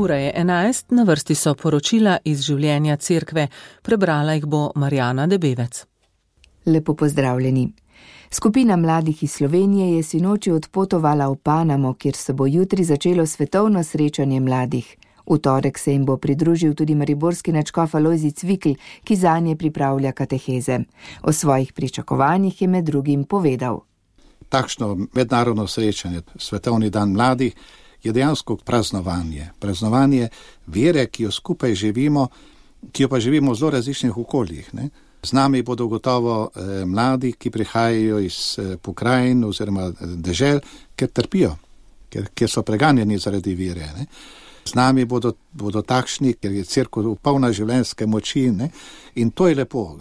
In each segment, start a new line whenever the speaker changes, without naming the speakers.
Ura je 11, na vrsti so poročila iz življenja cerkve. Prebrala jih bo Marjana Debevec.
Lepo pozdravljeni. Skupina mladih iz Slovenije je sinoči odpotovala v Panamo, kjer se bo jutri začelo svetovno srečanje mladih. V torek se jim bo pridružil tudi mariborski nadškof Alojzij Cvikl, ki zanje pripravlja kateheze. O svojih pričakovanjih je med drugim povedal.
Takšno mednarodno srečanje, svetovni dan mladih, je dejansko praznovanje. Praznovanje vere, ki jo skupaj živimo, ki jo pa živimo v zelo različnih okoljih. Ne? Z nami bodo gotovo mladi, ki prihajajo iz pokrajin oziroma dežel, ker trpijo, ker so preganjeni zaradi vere. Ne? Z nami bodo takšni, ker je cerkev polna življenjske moči, ne? In to je lepo.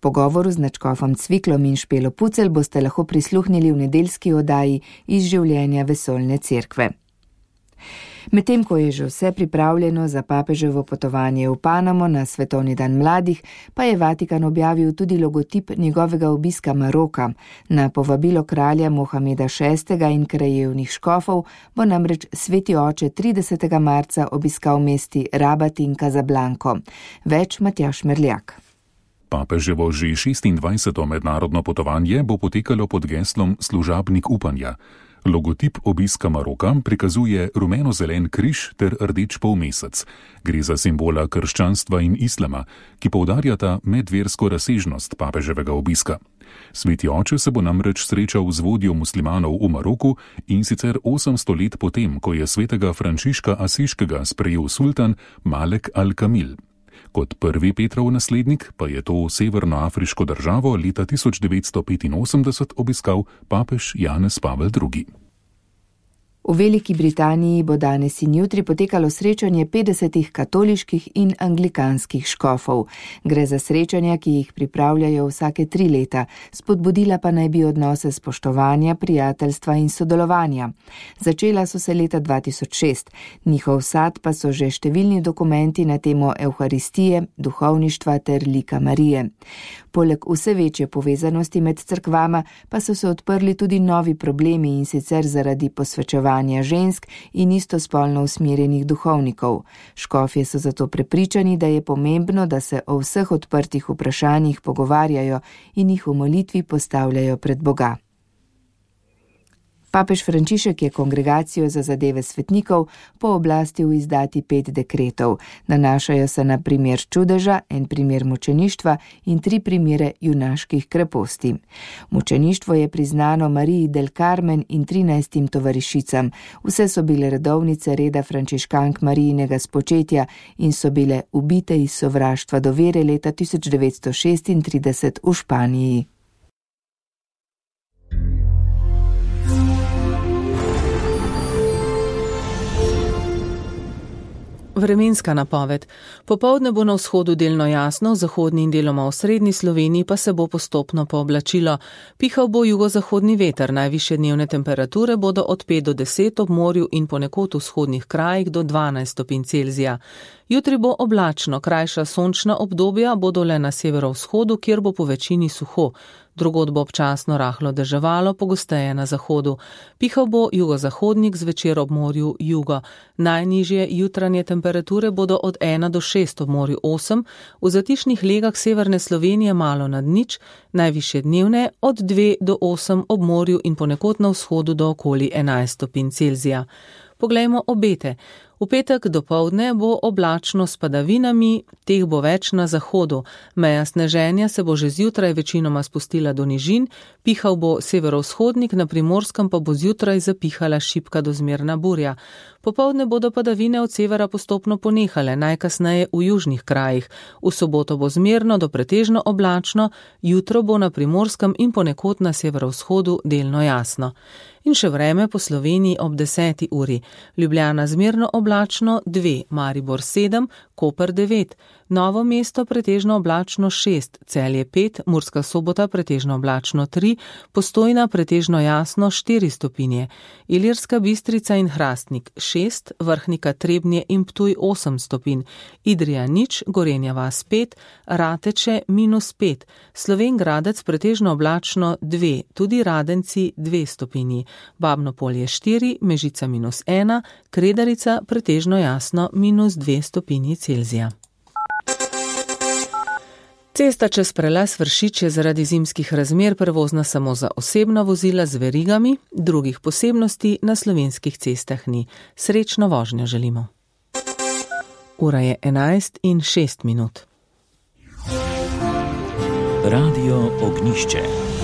Pogovoru z nadškofom Cviklom in Špelo Pucelj boste lahko prisluhnili v nedeljski oddaji iz življenja vesoljne cerkve. Medtem ko je že vse pripravljeno za papeževo potovanje v Panamo na svetovni dan mladih, pa je Vatikan objavil tudi logotip njegovega obiska Maroka. Na povabilo kralja Mohameda VI. In krajevnih škofov bo namreč sveti oče 30. marca obiskal mesti Rabat in Casablanco. Več Matjaž Merljak.
Papeževo že 26. mednarodno potovanje bo potekalo pod geslom Služabnik upanja. Logotip obiska Maroka prikazuje rumeno-zelen križ ter rdeč polmesec. Gre za simbola krščanstva in islama, ki poudarjata medversko razsežnost papeževega obiska. Sveti oče se bo namreč srečal z vodjo muslimanov v Maroku in sicer 800 let potem, ko je svetega Frančiška Asiškega sprejel sultan Malek al-Kamil. Kot prvi Petrov naslednik pa je to severnoafriško državo leta 1985 obiskal papež Janez Pavel II.
V Veliki Britaniji bo danes in jutri potekalo srečanje 50 katoliških in anglikanskih škofov. Gre za srečanja, ki jih pripravljajo vsake 3 leta, spodbudila pa naj bi odnose spoštovanja, prijateljstva in sodelovanja. Začela so se leta 2006, njihov sad pa so že številni dokumenti na temo Evharistije, duhovništva ter lika Marije. Poleg vse večje povezanosti med cerkvama pa so se odprli tudi novi problemi, in sicer zaradi posvečevanja žensk in istospolno usmerjenih duhovnikov. Škofje so zato prepričani, da je pomembno, da se o vseh odprtih vprašanjih pogovarjajo in jih v molitvi postavljajo pred Boga. Papež Frančišek je kongregacijo za zadeve svetnikov pooblastil izdati 5 dekretov. Nanašajo se na primer čudeža, en primer mučeništva in 3 primere junaških kreposti. Mučeništvo je priznano Mariji del Carmen in 13 tovarišicam. Vse so bile redovnice reda frančiškank Marijinega spočetja in so bile ubite iz sovraštva do vere leta 1936 v Španiji.
Vremenska napoved. Popoldne bo na vzhodu delno jasno, v zahodni in deloma v srednji Sloveniji pa se bo postopno pooblačilo. Pihal bo jugozahodni veter, najvišje dnevne temperature bodo od 5 do 10 ob morju in ponekod v vzhodnih krajih do 12 stopinj Celzija. Jutri bo oblačno, krajša sončna obdobja bodo le na severovzhodu, kjer bo po večini suho. Drugod bo občasno rahlo deževalo, pogosteje na zahodu. Pihal bo jugozahodnik, zvečer ob morju jugo. Najnižje jutranje temperature bodo od 1 do 6 ob morju 8, v zatišnih legah severne Slovenije malo nad nič, najvišje dnevne od 2 do 8 ob morju in ponekod na vzhodu do okoli 11 stopinj Celzija. Poglejmo obete. V petek dopoldne bo oblačno s padavinami, teh bo več na zahodu. Meja sneženja se bo že zjutraj večinoma spustila do nižin, pihal bo severovzhodnik, na Primorskem pa bo zjutraj zapihala šibka do zmerna burja. Popoldne bodo padavine od severa postopno ponehale, najkasneje v južnih krajih. V soboto bo zmerno do pretežno oblačno, jutro bo na Primorskem in ponekod na severovzhodu delno jasno. In še vreme po Sloveniji ob 10. uri. Ljubljana zmerno oblačno 2, Maribor 7, Koper 9, Novo Mesto pretežno oblačno 6, Celje 5, Murska Sobota pretežno oblačno 3, Postojna pretežno jasno 4 stopinje, Ilirska Bistrica in Hrastnik 6, Vrhnika, Trebnje in Ptuj 8 stopinj, Idrija nič, Gorenja vas 5, Rateče -5, Slovenj Gradec pretežno oblačno 2, tudi Radenci 2 stopinji, Babno Polje 4, Mežica -1, Kredarica pretežno jasno -2 stopinji Celzija. Cesta čez prelaz Vršič je zaradi zimskih razmer prevozna samo za osebna vozila z verigami, drugih posebnosti na slovenskih cestah ni. Srečno vožnjo želimo. Ura je 11:06.
Radio Ognjišče.